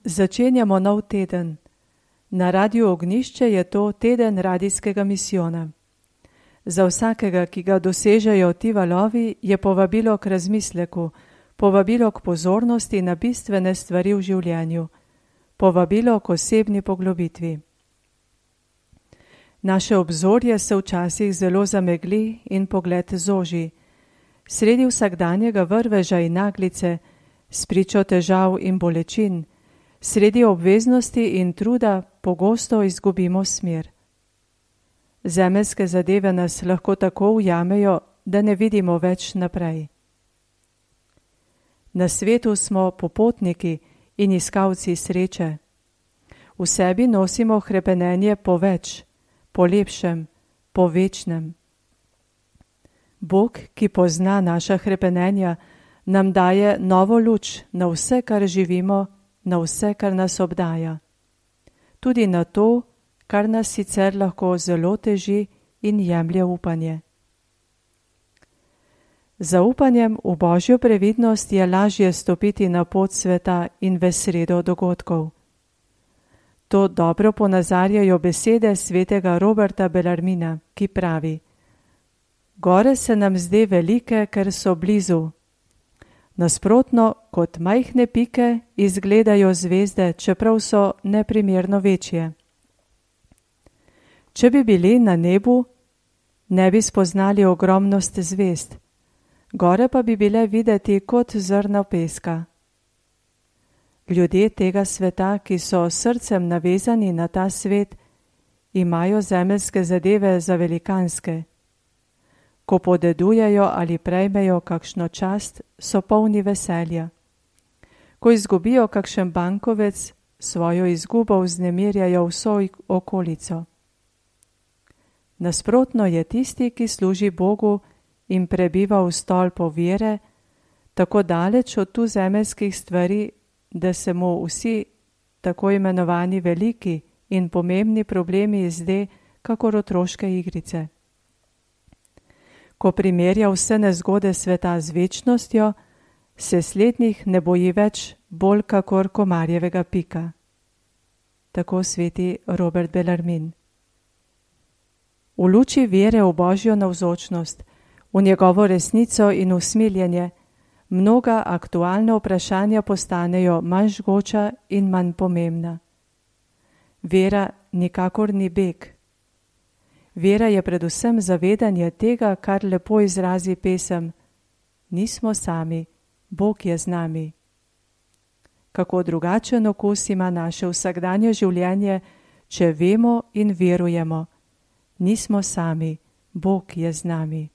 Začenjamo nov teden. Na Radiu Ognjišče je to teden radijskega misijona. Za vsakega, ki ga dosežejo ti valovi, je povabilo k razmisleku, povabilo k pozornosti na bistvene stvari v življenju, povabilo k osebni poglobitvi. Naše obzorje se včasih zelo zamegli in pogled zoži. Sredi vsakdanjega vrveža in naglice, spričo težav in bolečin, sredi obveznosti in truda pogosto izgubimo smer. Zemeljske zadeve nas lahko tako ujamejo, da ne vidimo več naprej. Na svetu smo popotniki in iskalci sreče. V sebi nosimo hrepenenje po več, po lepšem, po večnem. Bog, ki pozna naša hrepenenja, nam daje novo luč na vse, kar živimo, na vse, kar nas obdaja. Tudi na to, kar nas sicer lahko zelo teži in jemlje upanje. Za upanjem v Božjo previdnost je lažje stopiti na pot sveta in v sredo dogodkov. To dobro ponazarjajo besede svetega Roberta Bellarmina, ki pravi: Gore se nam zde velike, ker so blizu. Nasprotno, kot majhne pike izgledajo zvezde, čeprav so neprimerno večje. Če bi bili na nebu, ne bi spoznali ogromnost zvezd, gore pa bi bile videti kot zrna peska. Ljudje tega sveta, ki so srcem navezani na ta svet, imajo zemeljske zadeve za velikanske. Ko podedujejo ali prejmejo kakšno čast, so polni veselja. Ko izgubijo kakšen bankovec, svojo izgubo vznemirjajo vso okolico. Nasprotno je tisti, ki služi Bogu in prebiva v stolpu vere, tako daleč od tu zemeljskih stvari, da se mu vsi tako imenovani veliki in pomembni problemi zde kakor otroške igrice. Ko primerja vse nezgode sveta z večnostjo, se slednjih ne boji več bolj kakor komarjevega pika. Tako sveti Robert Bellarmin. V luči vere v Božjo navzočnost, v njegovo resnico in usmiljenje, mnoga aktualna vprašanja postanejo manj žgoča in manj pomembna. Vera nikakor ni beg. Vera je predvsem zavedanje tega, kar lepo izrazi pesem: Nismo sami, Bog je z nami. Kako drugačen okus ima naše vsakdanje življenje, če vemo in verujemo: Nismo sami, Bog je z nami.